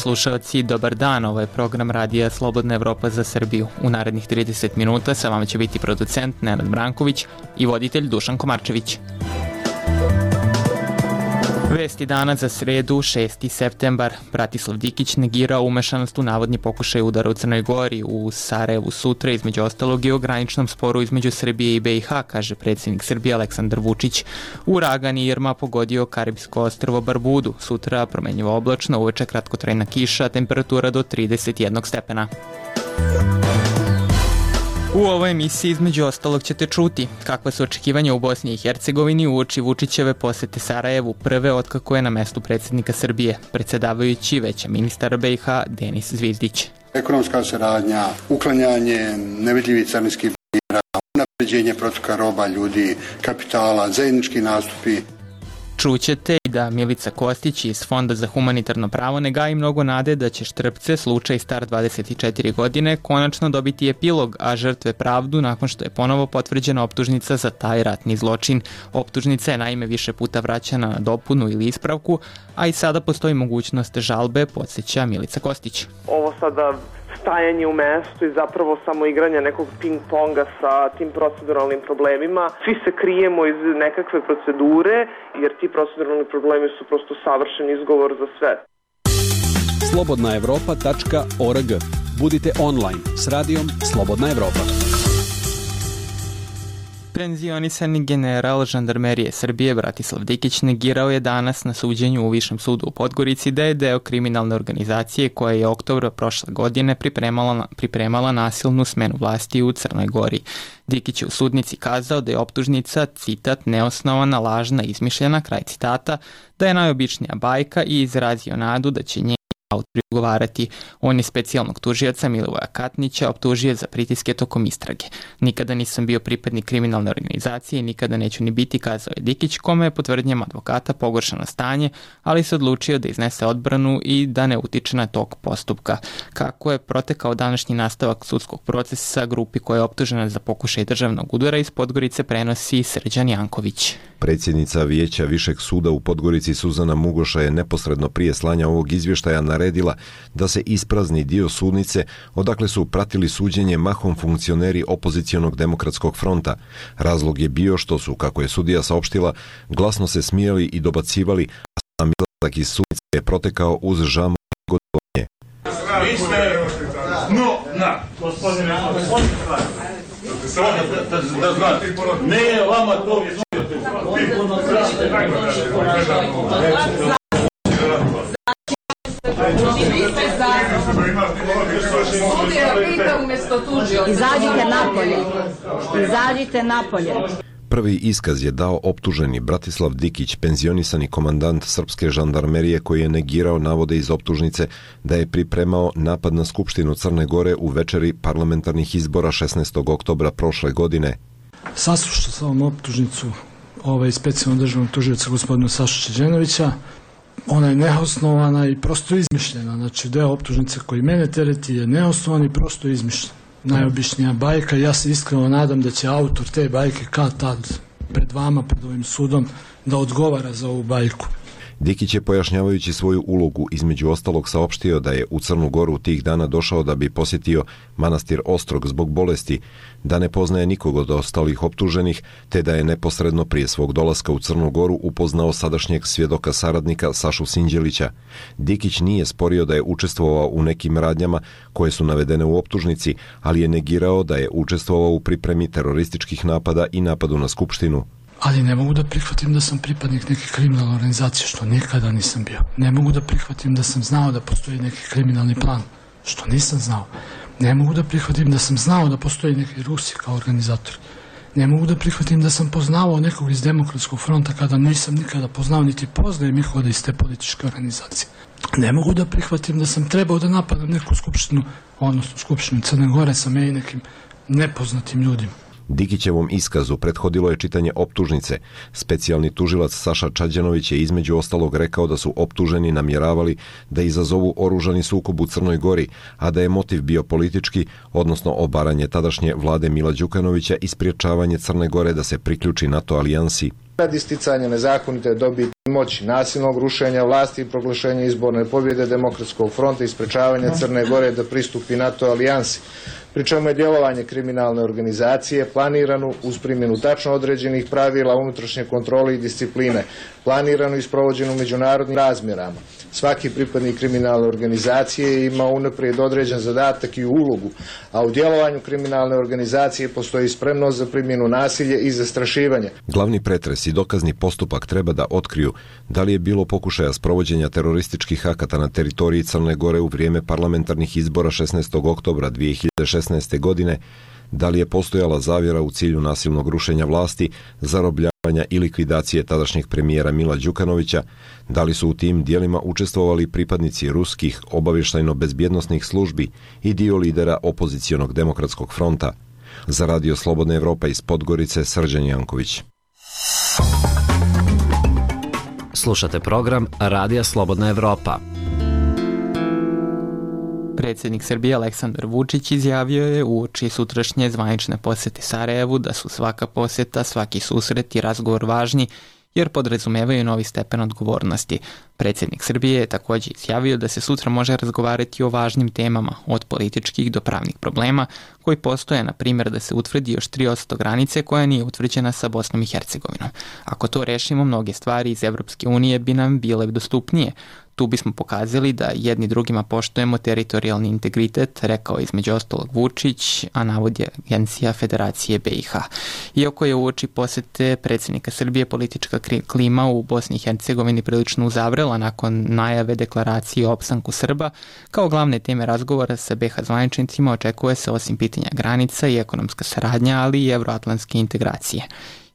slušalci, dobar dan, ovo je program radija Slobodna Evropa za Srbiju. U narednih 30 minuta sa vama će biti producent Nenad Branković i voditelj Dušan Komarčević. Vesti dana za sredu, 6. septembar. Bratislav Dikić negirao umešanost u navodni pokušaj udara u Crnoj Gori. U Sarajevu sutra, između ostalog, i o graničnom sporu između Srbije i BiH, kaže predsjednik Srbije Aleksandar Vučić. Uragan Irma pogodio Karibsko ostrvo Barbudu. Sutra promenljivo oblačno, uveče kratkotrajna kiša, temperatura do 31 stepena. U ovoj emisiji između ostalog ćete čuti kakva su očekivanja u Bosni i Hercegovini uoči Vučićeve posete Sarajevu, prve otkako je na mestu predsjednika Srbije, predsedavajući veća ministar BiH Denis Zvizdić. Ekonomska saradnja, uklanjanje nevidljivih carinskih barijera, unapređenje protoka roba, ljudi, kapitala, zajednički nastupi. Čućete i da Milica Kostić iz Fonda za humanitarno pravo ne gaji mnogo nade da će Štrpce, slučaj star 24 godine, konačno dobiti epilog, a žrtve pravdu nakon što je ponovo potvrđena optužnica za taj ratni zločin. Optužnica je naime više puta vraćana na dopunu ili ispravku, a i sada postoji mogućnost žalbe, podsjeća Milica Kostić. Ovo sada stajanje u mestu i zapravo samo igranje nekog ping-ponga sa tim proceduralnim problemima. Svi se krijemo iz nekakve procedure, jer ti proceduralni problemi su prosto savršen izgovor za sve. slobodnaevropa.org. Budite online s radijom Slobodna Evropa. Penzionisani general žandarmerije Srbije Bratislav Dikić negirao je danas na suđenju u Višem sudu u Podgorici da je deo kriminalne organizacije koja je oktobra prošle godine pripremala nasilnu smenu vlasti u Crnoj Gori. Dikić je u sudnici kazao da je optužnica, citat, neosnovana, lažna, izmišljena, kraj citata, da je najobičnija bajka i izrazio nadu da će njeni autori odgovarati. On je specijalnog tužioca Milivoja Katnića optužio za pritiske tokom istrage. Nikada nisam bio pripadnik kriminalne organizacije i nikada neću ni biti, kazao je Dikić, kome je po tvrdnjama advokata pogoršano stanje, ali se odlučio da iznese odbranu i da ne utiče na tok postupka. Kako je protekao današnji nastavak sudskog procesa grupi koja je optužena za pokušaj državnog udara iz Podgorice prenosi Srđan Janković. Predsjednica Vijeća Višeg suda u Podgorici Suzana Mugoša je neposredno prije slanja ovog izvještaja naredila da se isprazni dio sudnice odakle su pratili suđenje mahom funkcioneri opozicionog demokratskog fronta. Razlog je bio što su, kako je sudija saopštila, glasno se smijali i dobacivali, a sam izlazak iz sudnice je protekao uz žamu i godovanje. Vi ste... Gospodine, da znate, ne vama to Izađite napolje. Prvi iskaz je dao optuženi Bratislav Dikić, penzionisani komandant srpske žandarmerije koji je negirao navode iz optužnice da je pripremao napad na Skupštinu Crne Gore u večeri parlamentarnih izbora 16. oktobra prošle godine. Saslušao sam optužnicu specijalnog državnog tužioca gospodina Sašu Čeđenovića. Ona je neosnovana i prosto izmišljena. Znači, deo optužnice koji mene tereti je neosnovan i prosto izmišljen. Najobičnija bajka. Ja se iskreno nadam da će autor te bajke kad tad pred vama, pred ovim sudom, da odgovara za ovu bajku. Dikić je, pojašnjavajući svoju ulogu, između ostalog saopštio da je u Crnu Goru tih dana došao da bi posjetio manastir Ostrog zbog bolesti, da ne poznaje nikog od ostalih optuženih, te da je neposredno prije svog dolaska u Crnu Goru upoznao sadašnjeg svjedoka saradnika Sašu Sinđelića. Dikić nije sporio da je učestvovao u nekim radnjama koje su navedene u optužnici, ali je negirao da je učestvovao u pripremi terorističkih napada i napadu na Skupštinu. Ali ne mogu da prihvatim da sam pripadnik neke kriminalne organizacije, što nikada nisam bio. Ne mogu da prihvatim da sam znao da postoji neki kriminalni plan, što nisam znao. Ne mogu da prihvatim da sam znao da postoji neki Rusi kao organizator. Ne mogu da prihvatim da sam poznavao nekog iz Demokratskog fronta kada nisam nikada poznao niti poznajem nikoga iz te političke organizacije. Ne mogu da prihvatim da sam trebao da napadam neku skupštinu, odnosno skupštinu Crne Gore sa meni nekim nepoznatim ljudima. Dikićevom iskazu prethodilo je čitanje optužnice. Specijalni tužilac Saša Čađanović je između ostalog rekao da su optuženi namjeravali da izazovu oružani sukob u Crnoj Gori, a da je motiv bio politički, odnosno obaranje tadašnje vlade Mila Đukanovića i spriječavanje Crne Gore da se priključi NATO alijansi. Radi isticanja nezakonite dobiti moći, nasilnog rušenja vlasti i proglašenja izborne pobjede Demokratskog fronta i sprečavanja Crne Gore da pristupi NATO alijansi, pri čemu je djelovanje kriminalne organizacije planirano uz primjenu tačno određenih pravila unutrašnje kontrole i discipline, planirano i sprovođeno u međunarodnim razmjerama. Svaki pripadnik kriminalne organizacije ima unaprijed određen zadatak i ulogu, a u djelovanju kriminalne organizacije postoji spremnost za primjenu nasilja i zastrašivanje. Glavni pretres i dokazni postupak treba da otkriju da li je bilo pokušaja sprovođenja terorističkih akata na teritoriji Crne Gore u vrijeme parlamentarnih izbora 16. oktobra 2016. godine, da li je postojala zavjera u cilju nasilnog rušenja vlasti, zarobljavanja i likvidacije tadašnjeg premijera Mila Đukanovića, da li su u tim dijelima učestvovali pripadnici ruskih obavještajno-bezbjednosnih službi i dio lidera opozicionog Demokratskog fronta. Za Radio Slobodna Evropa iz Podgorice, Srđan Janković. Slušate program Radija Slobodna Evropa. Predsjednik Srbije Aleksandar Vučić izjavio je uoči sutrašnje zvanične posjete Sarajevu da su svaka posjeta, svaki susret i razgovor važni jer podrazumevaju novi stepen odgovornosti. Predsjednik Srbije je također izjavio da se sutra može razgovarati o važnim temama, od političkih do pravnih problema, koji postoje, na primjer, da se utvrdi još 3% granice koja nije utvrđena sa Bosnom i Hercegovinom. Ako to rešimo, mnoge stvari iz Evropske unije bi nam bile dostupnije. Tu bismo pokazali da jedni drugima poštujemo teritorijalni integritet, rekao između ostalog Vučić, a navodi Agencija Federacije BiH. Iako je uoči posjete predsjednika Srbije politička klima u Bosni i Hercegovini prilično uzavrela nakon najave deklaracije o opstanku Srba, kao glavne teme razgovora sa BiH zvaničnicima očekuje se osim pitanja granica i ekonomska saradnja, ali i evroatlantske integracije.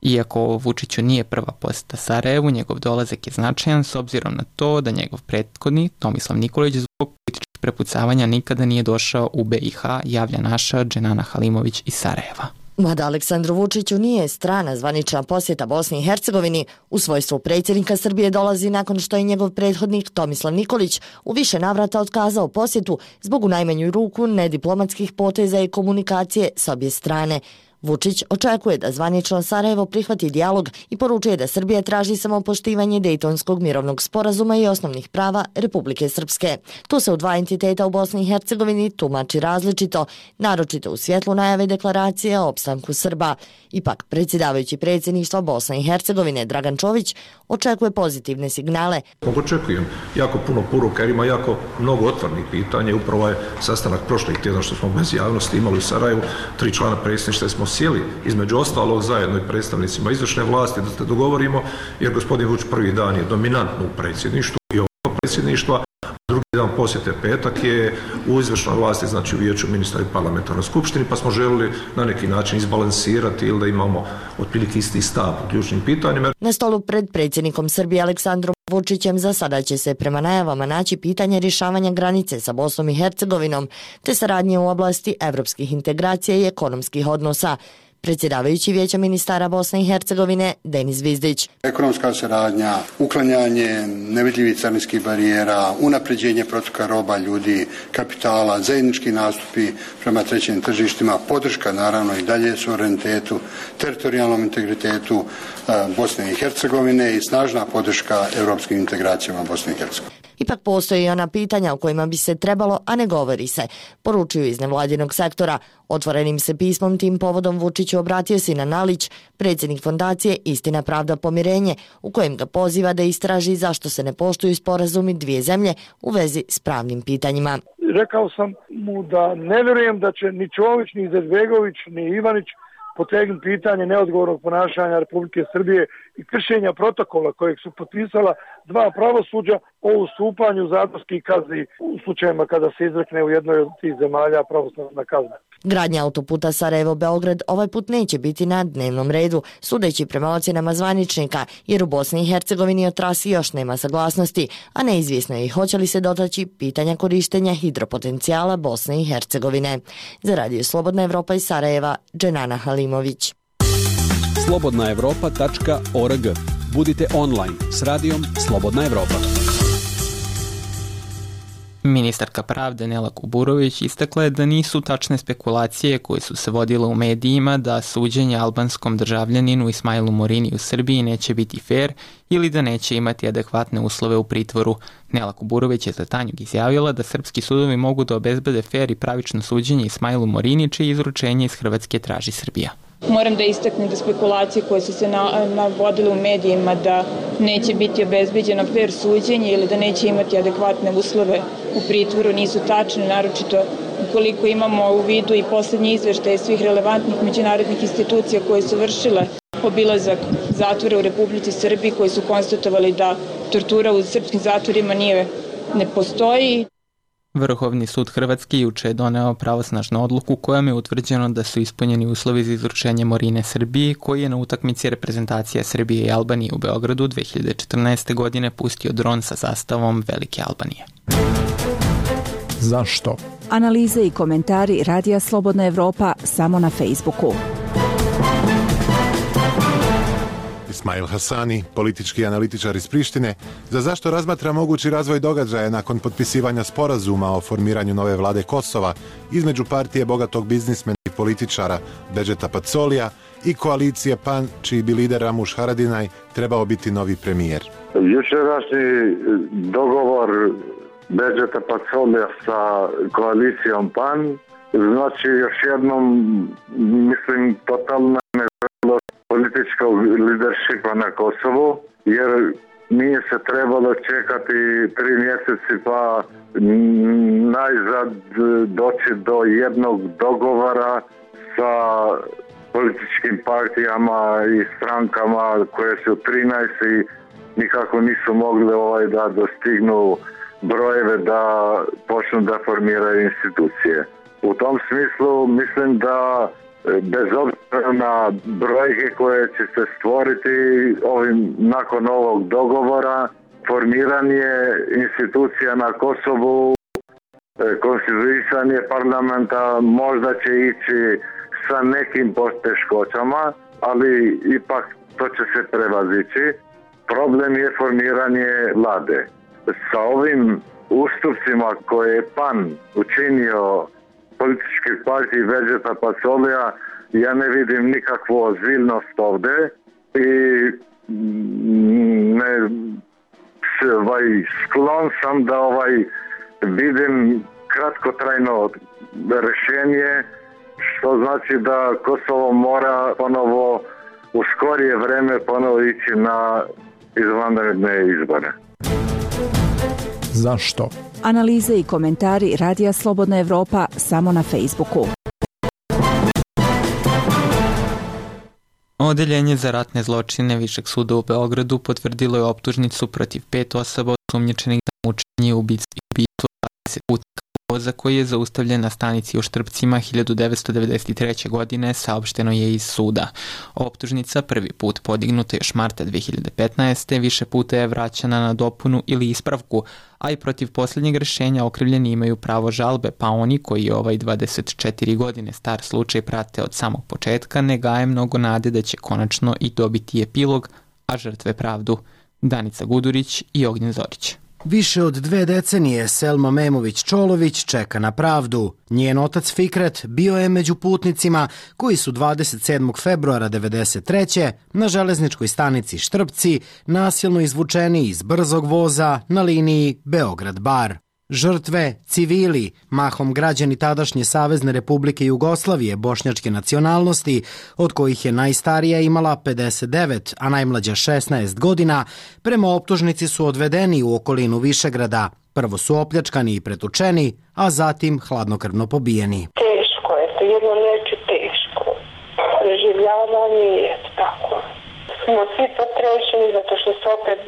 Iako Vučiću nije prva posjeta Sarajevu, njegov dolazak je značajan s obzirom na to da njegov prethodnik Tomislav Nikolić zbog političkih prepucavanja nikada nije došao u BiH, javlja naša Dženana Halimović iz Sarajeva. Mada Aleksandru Vučiću nije strana zvanična posjeta Bosni i Hercegovini, u svojstvu predsjednika Srbije dolazi nakon što je njegov prethodnik Tomislav Nikolić u više navrata otkazao posjetu zbog u najmanju ruku nediplomatskih poteza i komunikacije s obje strane. Vučić očekuje da zvanično Sarajevo prihvati dijalog i poručuje da Srbija traži samo poštivanje Dejtonskog mirovnog sporazuma i osnovnih prava Republike Srpske. To se u dva entiteta u Bosni i Hercegovini tumači različito, naročito u svjetlu najave deklaracije o opstanku Srba. Ipak, predsjedavajući predsjedništva Bosne i Hercegovine Dragan Čović očekuje pozitivne signale. Očekujem jako puno poruka jer ima jako mnogo otvornih pitanja. Upravo je sastanak prošlih tjedna što smo bez javnosti imali u Sarajevu, 3 člana predsjedništva smo sjeli između ostalog zajedno i predstavnicima izvršne vlasti da se dogovorimo, jer gospodin Vučić prvi dan je dominantno u predsjedništvu i ovo predsjedništva, drugi dan posjete petak je u izvršnoj vlasti, znači u vijeću ministra i parlamentarnoj skupštini, pa smo želili na neki način izbalansirati ili da imamo otprilike isti stav u ključnim pitanjima. Na stolu pred predsjednikom Srbije Aleksandrom Vučićem za sada će se prema najavama naći pitanje rješavanja granice sa Bosnom i Hercegovinom te saradnje u oblasti evropskih integracija i ekonomskih odnosa. Predsjedavajući Vijeća ministara Bosne i Hercegovine Denis Zvizdić. Ekonomska saradnja, uklanjanje nevidljivih carinskih barijera, unapređenje protoka roba, ljudi, kapitala, zajednički nastupi prema trećim tržištima, podrška naravno i dalje suverenitetu, teritorijalnom integritetu Bosne i Hercegovine i snažna podrška europskim integracijama Bosne i Hercegovine. Ipak postoji i ona pitanja o kojima bi se trebalo, a ne govori se, poručuju iz nevladinog sektora. Otvorenim se pismom tim povodom Vučiću obratio Sinan Nalić, predsjednik fondacije Istina, pravda, pomirenje, u kojem ga poziva da istraži zašto se ne poštuju sporazumi dvije zemlje u vezi s pravnim pitanjima. Rekao sam mu da ne vjerujem da će ni Čović, ni Izetbegović, ni Ivanić potegnuti pitanje neodgovornog ponašanja Republike Srbije i kršenja protokola kojeg su potpisala dva pravosuđa o ustupanju zatvorskih kazni u slučajima kada se izrekne u jednoj od tih zemalja pravosnažna kazna. Gradnja autoputa Sarajevo-Beograd ovaj put neće biti na dnevnom redu, sudeći prema ocjenama zvaničnika, jer u Bosni i Hercegovini o trasi još nema saglasnosti, a neizvjesno je i hoće li se dotaći pitanja korištenja hidropotencijala Bosne i Hercegovine. Za Radio Slobodna Evropa iz Sarajeva, Dženana Halimović. slobodnaevropa.org. Budite online s radijom Slobodna Evropa. Ministarka pravde Nela Kuburović istakla je da nisu tačne spekulacije koje su se vodile u medijima da suđenje albanskom državljaninu Ismailu Morini u Srbiji neće biti fair ili da neće imati adekvatne uslove u pritvoru. Nela Kuburović je za Tanjug izjavila da srpski sudovi mogu da obezbede fair i pravično suđenje Ismailu Morini, čije izručenje iz Hrvatske traži Srbija. Moram da istaknem da spekulacije koje su se navodile u medijima da neće biti obezbeđeno fair suđenje ili da neće imati adekvatne uslove u pritvoru nisu tačne, naročito ukoliko imamo u vidu i poslednji izveštaj svih relevantnih međunarodnih institucija koje su vršile obilazak zatvora u Republici Srbiji, koji su konstatovali da tortura u srpskim zatvorima ne postoji. Vrhovni sud Hrvatske juče je doneo pravosnažnu odluku kojom je utvrđeno da su ispunjeni uslovi za izručenje Morine Srbiji, koji je na utakmici reprezentacija Srbije i Albanije u Beogradu 2014. godine pustio dron sa zastavom Velike Albanije. Zašto? Analize i komentari Radija Slobodna Evropa samo na Facebooku. Ismail Hasani, politički analitičar iz Prištine, za zašto razmatra mogući razvoj događaja nakon potpisivanja sporazuma o formiranju nove vlade Kosova između partije bogatog biznismena i političara Bedžeta Pacolija i koalicije PAN, čiji bi lider Ramuš Haradinaj trebao biti novi premijer. Jučerašnji dogovor Bedžeta Pacolija sa koalicijom PAN znači još jednom, mislim, totalna neželjnost političkog lideršipa na Kosovu, jer nije se trebalo čekati 3 mjeseci pa najzad doći do jednog dogovora sa političkim partijama i strankama koje su 13 i nikako nisu mogli da dostignu brojeve da počnu da formiraju institucije. U tom smislu mislim da bez obzira na brojke koje će se stvoriti nakon ovog dogovora, formiranje institucija na Kosovu, konstituisanje parlamenta možda će ići sa nekim poteškoćama, ali ipak to će se prevazići. Problem je formiranje vlade. Sa ovim ustupcima koje je PAN učinio političkih partij Bedžeta Pacolija, ja ne vidim nikakvu ozbiljnost ovde i sklon sam da vidim kratkotrajno rešenje, što znači da Kosovo mora ponovo u skorije vreme ponovo ići na izvanredne izbore. Zašto? Analize i komentari Radija Slobodna Evropa samo na Facebooku. Odeljenje za ratne zločine Višeg suda u Beogradu potvrdilo je optužnicu protiv 5 osoba osumnjičenih za mučenje i ubistvo 20 putnika voza koji je zaustavljen na stanici u Štrpcima 1993. godine, saopšteno je iz suda. Optužnica, prvi put podignuta još marta 2015. više puta je vraćana na dopunu ili ispravku, a i protiv posljednjeg rešenja okrivljeni imaju pravo žalbe, pa oni koji je 24 godine star slučaj prate od samog početka ne gaje mnogo nade da će konačno i dobiti epilog, a žrtve pravdu. Danica Gudurić i Ognjen Zorić. Više od 2 decenije Selma Memović-Čolović čeka na pravdu. Njen otac Fikret bio je među putnicima koji su 27. februara 1993. na železničkoj stanici Štrpci nasilno izvučeni iz brzog voza na liniji Beograd-Bar. Žrtve, civili, mahom građani tadašnje Savezne Republike Jugoslavije bošnjačke nacionalnosti, od kojih je najstarija imala 59, a najmlađa 16 godina, prema optužnici su odvedeni u okolinu Višegrada. Prvo su opljačkani i pretučeni, a zatim hladnokrvno pobijeni. Teško je, to jedno reći teško. Preživljavanje je tako. Smo svi potrešeni zato što se opet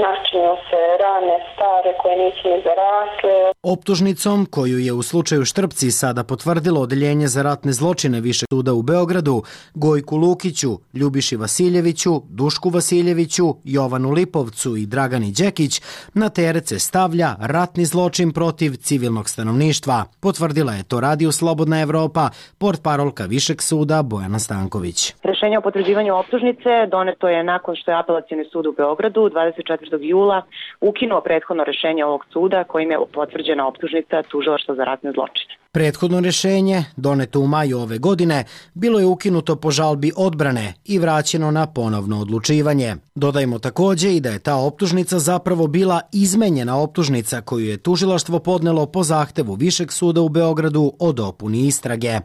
načinju se rane stare koje nisu ni zarasle. Optužnicom, koju je u slučaju Štrpci sada potvrdilo Odeljenje za ratne zločine Višeg suda u Beogradu, Gojku Lukiću, Ljubiši Vasiljeviću, Dušku Vasiljeviću, Jovanu Lipovcu i Dragani Đekić, na teret se stavlja ratni zločin protiv civilnog stanovništva. Potvrdila je to Radiju Slobodna Evropa, portparolka Višeg suda Bojana Stanković. Rešenje o potvrđivanju optužnice doneto je nakon što je Apelacioni sud u Beogradu 24. 24. jula ukinuo prethodno rešenje ovog suda kojim je potvrđena optužnica tužilaštva za ratne zločine. Prethodno rješenje, doneto u maju ove godine, bilo je ukinuto po žalbi odbrane i vraćeno na ponovno odlučivanje. Dodajmo također i da je ta optužnica zapravo bila izmenjena optužnica koju je tužilaštvo podnelo po zahtevu Višeg suda u Beogradu o dopuni istrage.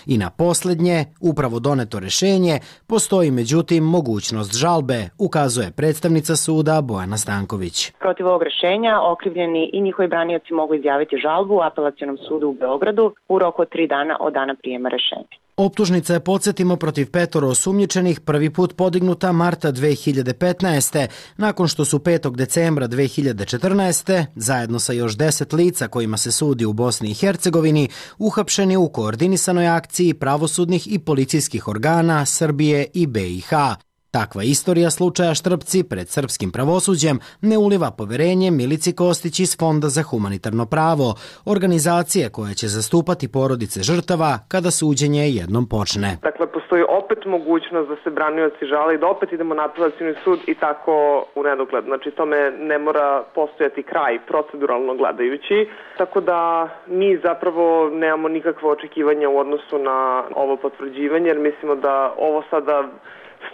I na posljednje, upravo doneto rješenje, postoji međutim mogućnost žalbe, ukazuje predstavnica suda Bojana Stanković. Protiv ovog rješenja okrivljeni i njihovi branioci mogu izjaviti žalbu u Apelacionom sudu u Beogradu u roku od 3 dana od dana prijema rešenja. Optužnica je, podsjetimo, protiv 5 osumnjičenih prvi put podignuta marta 2015. nakon što su 5. decembra 2014. zajedno sa još 10 lica kojima se sudi u Bosni i Hercegovini uhapšeni u koordinisanoj akciji pravosudnih i policijskih organa Srbije i BiH. Takva istorija slučaja Štrpci pred srpskim pravosuđem ne uliva poverenje Milici Kostić iz Fonda za humanitarno pravo, organizacije koja će zastupati porodice žrtava kada suđenje jednom počne. Dakle, postoji opet mogućnost da se branioci žale i da opet idemo na apelacioni sud i tako u nedogled. Znači, tome ne mora postojati kraj proceduralno gledajući, tako da mi zapravo nemamo nikakvo očekivanje u odnosu na ovo potvrđivanje, jer mislimo da ovo sada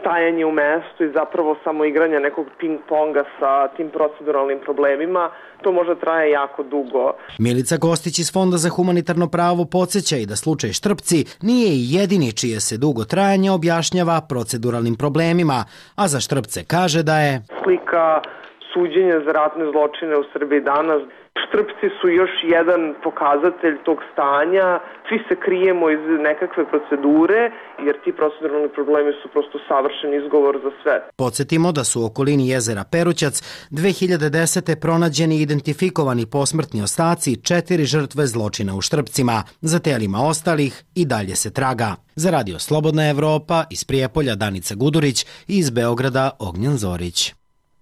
stajanje u mestu i zapravo samo igranje nekog ping-ponga sa tim proceduralnim problemima, to možda traje jako dugo. Milica Kostić iz Fonda za humanitarno pravo podsjeća i da slučaj Štrpci nije i jedini čije se dugo trajanje objašnjava proceduralnim problemima, a za Štrpce kaže da je slika suđenja za ratne zločine u Srbiji danas. Štrpci su još jedan pokazatelj tog stanja. Svi se krijemo iz nekakve procedure, jer ti proceduralni problemi su prosto savršen izgovor za sve. Podsjetimo da su u okolini jezera Perućac 2010. pronađeni i identifikovani posmrtni ostaci 4 žrtve zločina u Štrpcima. Za telima ostalih i dalje se traga. Za Radio Slobodna Evropa iz Prijepolja Danica Gudurić i iz Beograda Ognjen Zorić.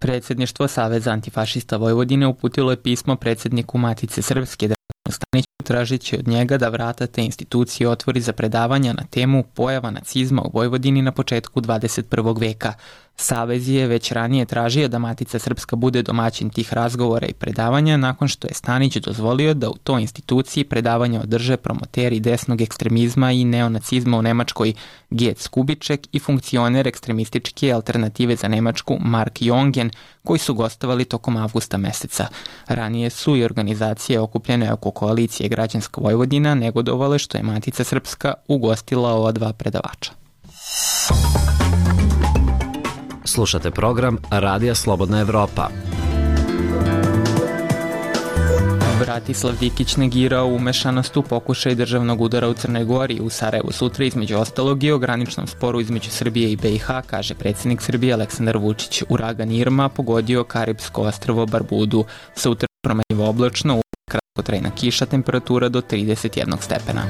Predsjedništvo Saveza antifašista Vojvodine uputilo je pismo predsjedniku Matice Srpske Draganu Staniću tražići od njega da vrata te institucije otvori za predavanja na temu pojava nacizma u Vojvodini na početku 21. veka. Savez je već ranije tražio da Matica Srpska bude domaćin tih razgovora i predavanja nakon što je Stanić dozvolio da u toj instituciji predavanja održe promoteri desnog ekstremizma i neonacizma u Nemačkoj Gec Kubiček i funkcioner ekstremističke alternative za Nemačku Mark Jongen, koji su gostovali tokom avgusta meseca. Ranije su i organizacije okupljene oko koalicije Građanska Vojvodina negodovale što je Matica Srpska ugostila ova 2 predavača. Slušate program Radija Slobodna Evropa. Bratislav Dikić negirao umešanost u pokušaj državnog udara u Crnoj Gori. U Sarajevu sutra između ostalog i o graničnom sporu između Srbije i BiH, kaže predsjednik Srbije Aleksandar Vučić. Uragan Irma pogodio Karipsko ostrvo Barbudu. Sutra promenljivo oblačno, kratkotrajna kiša, temperatura do 31 stepena.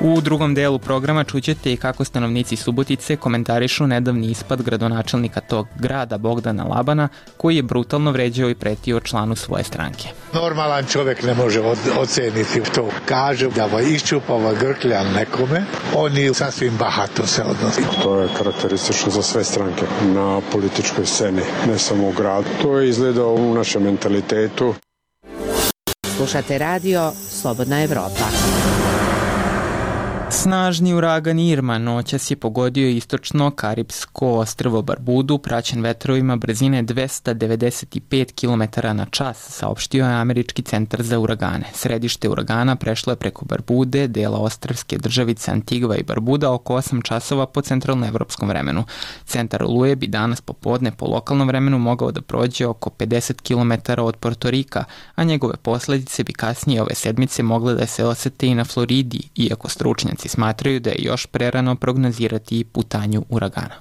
U drugom delu programa čućete i kako stanovnici Subotice komentarišu nedavni ispad gradonačelnika tog grada Bogdana Labana, koji je brutalno vređao i pretio članu svoje stranke. Normalan čovjek ne može oceniti to. Kaže da iščupava grkljan nekome, oni sasvim bahato se odnosi. To je karakteristično za sve stranke na političkoj sceni, ne samo u gradu. To je izgledao u našem mentalitetu. Slušate radio Slobodna Evropa. Snažni uragan Irma noćas je pogodio istočno Karipsko ostrvo Barbudu, praćen vetrovima brzine 295 km/h, saopštio je Američki centar za uragane. Središte uragana prešlo je preko Barbude, dela ostrvske državice Antigva i Barbuda, oko 8 časova po centralnoevropskom vremenu. Centar oluje bi danas popodne po lokalnom vremenu mogao da prođe oko 50 km od Portorika, a njegove posljedice bi kasnije ove sedmice mogle da se osete i na Floridi, iako stručnjaci smatraju da je još prerano prognozirati putanju uragana.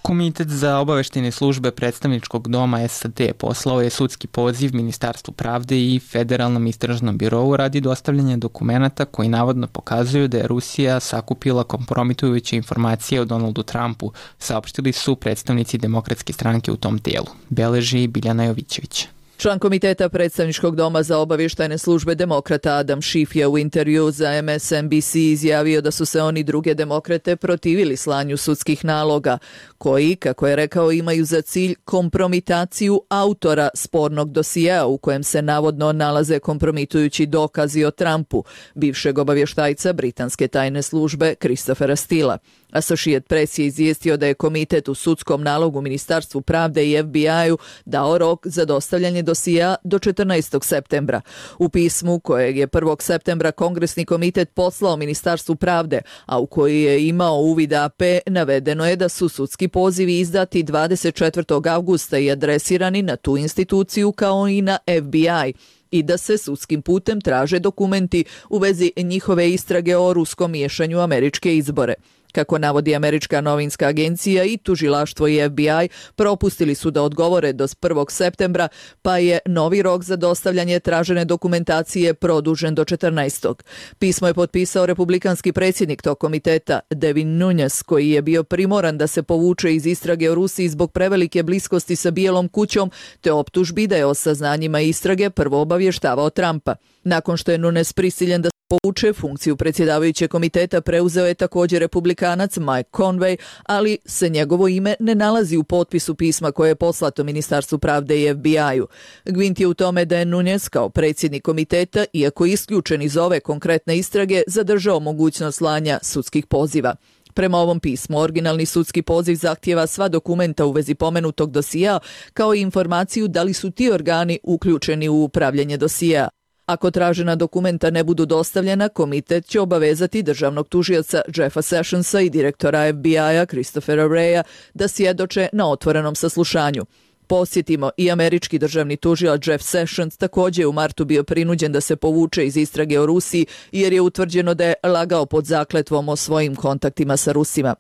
Komitet za obaveštene službe predstavničkog doma SAD poslao je sudski poziv Ministarstvu pravde i Federalnom istražnom birovu radi dostavljanja dokumenata koji navodno pokazuju da je Rusija sakupila kompromitujuće informacije o Donaldu Trumpu, saopštili su predstavnici Demokratske stranke u tom tijelu. Beleži Biljana Jovićević. Član komiteta predstavničkog doma za obavještajne službe demokrata Adam Schiff je u intervju za MSNBC izjavio da su se oni druge demokrate protivili slanju sudskih naloga, koji, kako je rekao, imaju za cilj kompromitaciju autora spornog dosijea u kojem se navodno nalaze kompromitujući dokazi o Trumpu, bivšeg obavještajca britanske tajne službe Christophera Steela. Associated Press je izvijestio da je komitet u sudskom nalogu Ministarstvu pravde i FBI-u dao rok za dostavljanje dosija do 14. septembra. U pismu kojeg je 1. septembra Kongresni komitet poslao Ministarstvu pravde, a u koji je imao uvid AP, navedeno je da su sudski pozivi izdati 24. avgusta i adresirani na tu instituciju kao i na FBI i da se sudskim putem traže dokumenti u vezi njihove istrage o ruskom miješanju u američke izbore. Kako navodi američka novinska agencija, i tužilaštvo i FBI propustili su da odgovore do 1. septembra, pa je novi rok za dostavljanje tražene dokumentacije produžen do 14. Pismo je potpisao republikanski predsjednik tog komiteta, Devin Nunes, koji je bio primoran da se povuče iz istrage o Rusiji zbog prevelike bliskosti sa Bijelom kućom, te optužbi da je o saznanjima istrage prvo obavještavao Trumpa. Nakon što je Nunes prisiljen da povuče, funkciju predsjedavajućeg komiteta preuzeo je također republikanac Mike Conway, ali se njegovo ime ne nalazi u potpisu pisma koje je poslato Ministarstvu pravde i FBI-u. Gvint je u tome da je Nunes kao predsjednik komiteta, iako isključen iz ove konkretne istrage, zadržao mogućnost slanja sudskih poziva. Prema ovom pismu, originalni sudski poziv zahtijeva sva dokumenta u vezi pomenutog dosija, kao i informaciju da li su ti organi uključeni u upravljanje dosija. Ako tražena dokumenta ne budu dostavljena, komitet će obavezati državnog tužioca Jeffa Sessionsa i direktora FBI-a Christophera Wreya da svjedoče na otvorenom saslušanju. Posjetimo, i američki državni tužilac Jeff Sessions također je u martu bio prinuđen da se povuče iz istrage o Rusiji jer je utvrđeno da je lagao pod zakletvom o svojim kontaktima sa Rusima.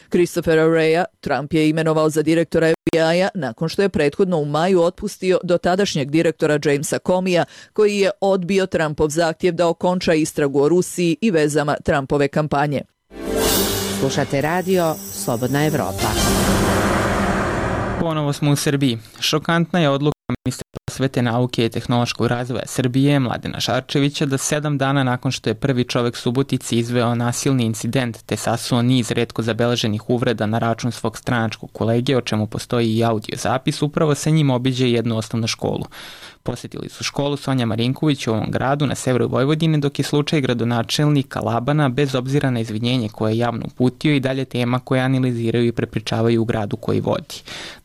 Christophera Wreya Trump je imenovao za direktora FBI-a nakon što je prethodno u maju otpustio dotadašnjeg direktora Jamesa Comeyja, koji je odbio Trumpov zahtjev da okonča istragu o Rusiji i vezama Trumpove kampanje. Slušate radio Slobodna Evropa. Ponovo smo u Srbiji. Šokantna je odluka ministra prosvete, nauke i tehnološkog razvoja Srbije, Mladena Šarčevića, da 7 dana nakon što je prvi čovek Subotici izveo nasilni incident te sasuo niz retko zabeleženih uvreda na račun svog stranačkog kolege, o čemu postoji i audio zapis, upravo sa njim obiđe jednu osnovnu školu. Posjetili su školu Sonja Marinković u ovom gradu na severu Vojvodine, dok je slučaj gradonačelnika Labana, bez obzira na izvinjenje koje je javno uputio, i dalje tema koje analiziraju i prepričavaju u gradu koji vodi.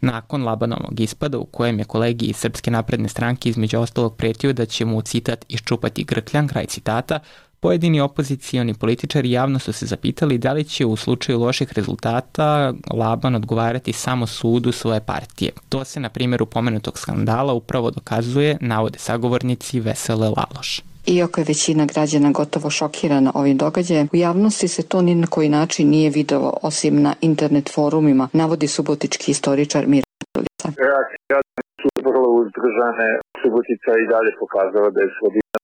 Nakon Labanovog ispada, u kojem je kolegi iz Srpske napredne stranke između ostalog pretio da će mu, citat, iščupati grkljan, kraj citata, pojedini opozicioni političari javno su se zapitali da li će u slučaju loših rezultata Laban odgovarati samo sudu svoje partije. To se na primjeru pomenutog skandala upravo dokazuje, navode sagovornici Vesele Laloš. Iako je većina građana gotovo šokirana ovim događajem, u javnosti se to ni na koji način nije videlo osim na internet forumima, navodi subotički istoričar Mira Lica. Reakcije su vrlo uzdržane. Subotica i dalje pokazala da je sredina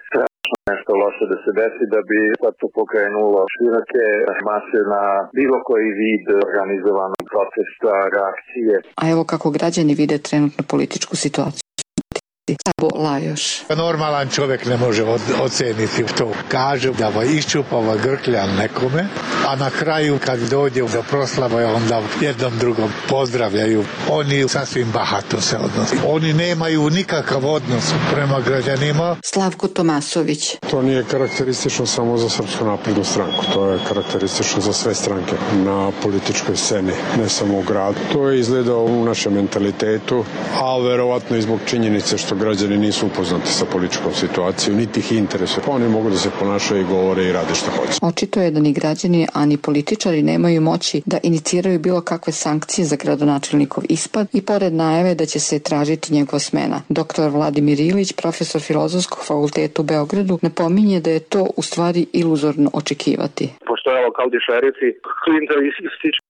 strašno nešto loše da se desi, da bi sad to pokrenulo široke mase na bilo koji vid organizovanog protesta, reakcije. A evo kako građani vide trenutnu političku situaciju. Sabo Lajoš. Normalan čovjek ne može oceniti to. Kaže da iščupava grkljan nekome, a na kraju kad dođe do proslava onda jednom drugom pozdravljaju. Oni sasvim bahato se odnose. Oni nemaju nikakav odnos prema građanima. Slavko Tomasović. To nije karakteristično samo za Srpsku naprednu stranku. To je karakteristično za sve stranke na političkoj sceni, ne samo u gradu. To je izgleda u našem mentalitetu, a verovatno i zbog činjenice što građani nisu upoznati sa političkom situacijom, niti ih interesuje. Oni mogu da se ponašaju i govore i rade što hoće. Očito je da ni građani, a ni političari nemaju moći da iniciraju bilo kakve sankcije za gradonačelnikov ispad i pored najave da će se tražiti njegova smena. Dr. Vladimir Ilić, profesor Filozofskog fakulteta u Beogradu, napominje da je to u stvari iluzorno očekivati. Pošto je lokalni šerifi, klijentelistički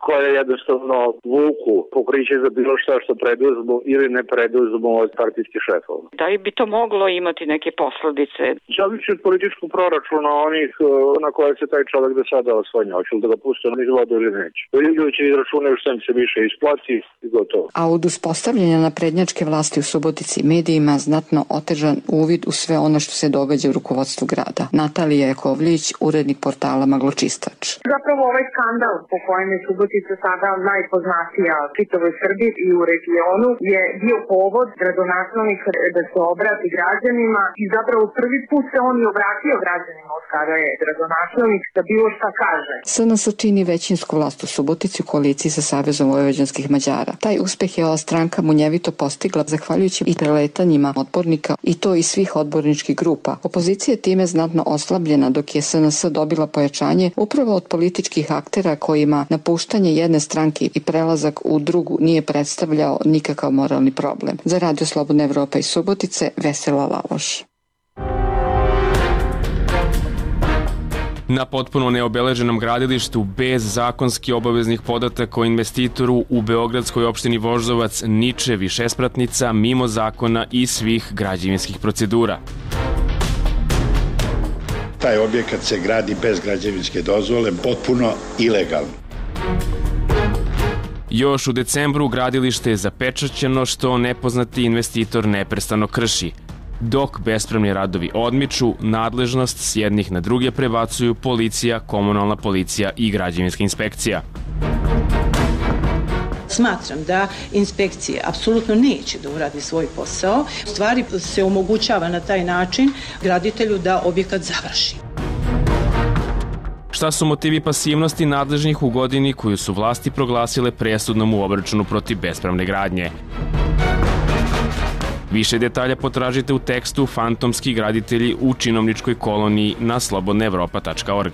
koje jednostavno vuku pokriće za bilo što preduzmu ili ne preduzmu od partijskih šefova. Da li bi to moglo imati neke posledice? Zavisi od političkog proračuna onih na koje se taj čovjek do sada osvanja. Hoće li da ga puste niz vodu ili neće. Ljudi će izračunaju što im se više isplati i gotovo. A od uspostavljanja naprednjačke vlasti u Subotici medijima znatno otežan uvid u sve ono što se događa u rukovodstvu grada. Natalija Jakovljević, urednik portala Magločistač. Zapravo ovaj skandal po kojem je Subotica sada najpoznatija čitavoj Srbiji i u regionu je bio povod gradonačelnik da se obrati građanima i zapravo prvi put se on i obratio građanima od kada je gradonačelnik da bilo šta kaže. SNS čini većinsku vlast u Subotici u koaliciji sa Savezom vojvođanskih Mađara. Taj uspeh je ova stranka munjevito postigla zahvaljujući i preletanjima odbornika i to iz svih odborničkih grupa. Opozicija je time znatno oslabljena dok je SNS dobila pojačanje upravo od političkih aktera kojima napuštanje jedne stranke i prelazak u drugu nije predstavljao nikakav moralni problem. Za Radio Slobodna Evropa iz Subotice, Vesela Laloš. Na potpuno neobeleženom gradilištu bez zakonski obaveznih podataka o investitoru u beogradskoj opštini Voždovac niče višespratnica mimo zakona i svih građevinskih procedura. Taj objekat se gradi bez građevinske dozvole, potpuno ilegalno. Još u decembru gradilište je zapečaćeno što nepoznati investitor neprestano krši. Dok bespravni radovi odmiču, nadležnost s jednih na druge prebacuju policija, komunalna policija i građevinska inspekcija. Smatram da inspekcije apsolutno neće da uradi svoj posao. U stvari se omogućava na taj način graditelju da objekat završi. Šta su motivi pasivnosti nadležnih u godini koju su vlasti proglasile presudnom u obračunu protiv bespravne gradnje? Više detalja potražite u tekstu Fantomski graditelji u činovničkoj koloniji na slobodnaevropa.org.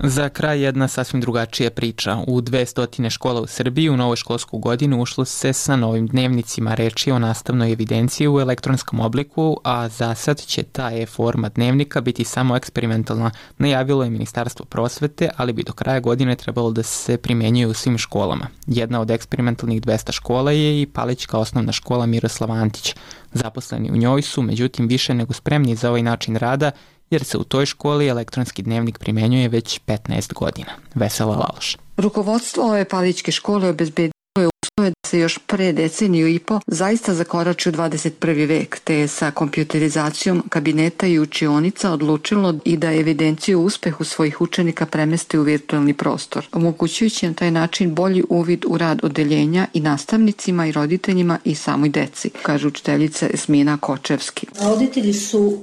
Za kraj jedna sasvim drugačija priča. U 200 škola u Srbiji u novoj školsku godinu ušlo se sa novim dnevnicima. Reč je o nastavnoj evidenciji u elektronskom obliku, a za sad će ta e-forma dnevnika biti samo eksperimentalna. Najavilo je Ministarstvo prosvete, ali bi do kraja godine trebalo da se primenjuje u svim školama. Jedna od eksperimentalnih 200 škola je i Palićka osnovna škola Miroslav Antić. Zaposleni u njoj su, međutim, više nego spremni za ovaj način rada, jer se u toj školi elektronski dnevnik primenjuje već 15 godina. Vesela Laloš. Rukovodstvo ove Palićke škole obezbedilo je uslove da se još pre deceniju i po zaista zakorači u 21. vek, te je sa kompjuterizacijom kabineta i učionica odlučilo i da evidenciju uspehu svojih učenika premesti u virtualni prostor, omogućujući na taj način bolji uvid u rad odeljenja i nastavnicima i roditeljima i samoj deci, kaže učiteljica Esmina Kočevski. Roditelji su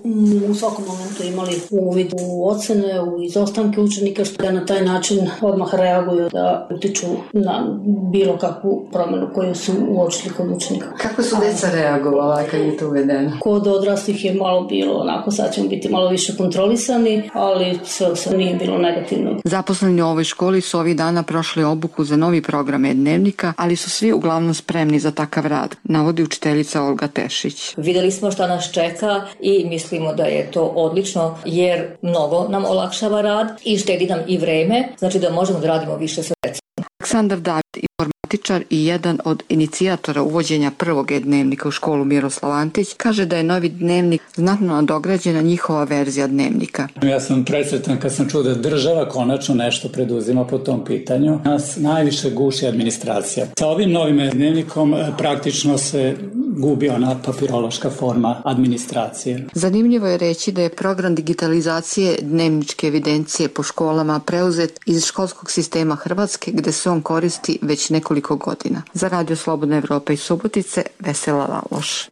u svakom momentu imali uvid u ocene, u izostanke učenika, što da na taj način odmah reaguju da utiču na bilo kakvu promenu koju su uočili kod učenika. Kako su deca reagovala kad je to uvedeno? Kod odraslih je malo bilo onako, sad ćemo biti malo više kontrolisani, ali sve nije bilo negativno. Zaposleni u ovoj školi su ovih dana prošli obuku za novi program e-dnevnika, ali su svi uglavnom spremni za takav rad, navodi učiteljica Olga Tešić. Videli smo šta nas čeka i mislimo da je to odlično, jer mnogo nam olakšava rad i štedi nam i vreme, znači da možemo da radimo više sa decom. Aleksandar David, informatičar i jedan od inicijatora uvođenja prvog e-dnevnika u školu Miroslav Antić, kaže da je novi dnevnik znatno nadograđena njihova verzija dnevnika. Ja sam presretan kad sam čuo da država konačno nešto preduzima po tom pitanju. Nas najviše guši administracija. Sa ovim novim dnevnikom praktično se gubi ona papirološka forma administracije. Zanimljivo je reći da je program digitalizacije dnevničke evidencije po školama preuzet iz školskog sistema Hrvatske, gde se on koristi već nekoliko godina. Za Radio Slobodna Evropa iz Subotice, Vesela Laloš.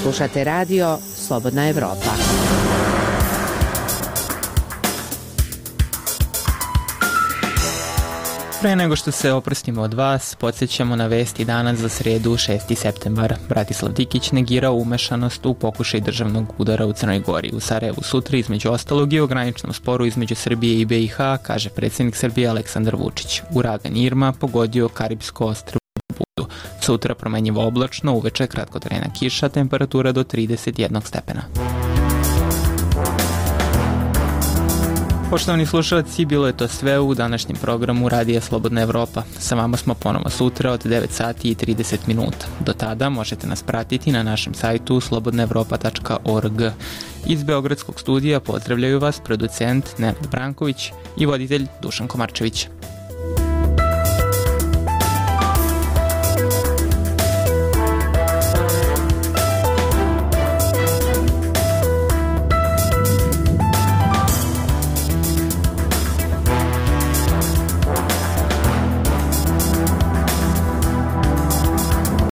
Slušate Radio Slobodna Evropa. Pre nego što se oprostimo od vas, podsjećamo na vesti danas za sredu 6. septembar. Bratislav Dikić negirao umešanost u pokušaj državnog udara u Crnoj Gori. U Sarajevu sutra, između ostalog, i o graničnom sporu između Srbije i BiH, kaže predsjednik Srbije Aleksandar Vučić. Uragan Irma pogodio Karibsko ostrvo Budu. Sutra promenjivo oblačno, uveče kratkotrajna kiša, temperatura do 31 stepena. Poštovani slušalci, bilo je to sve u današnjem programu Radija Slobodna Evropa. Sa vama smo ponovo sutra od 9 sati i 30 minuta. Do tada možete nas pratiti na našem sajtu slobodnaevropa.org. Iz Beogradskog studija pozdravljaju vas producent Nenad Branković i voditelj Dušan Komarčević.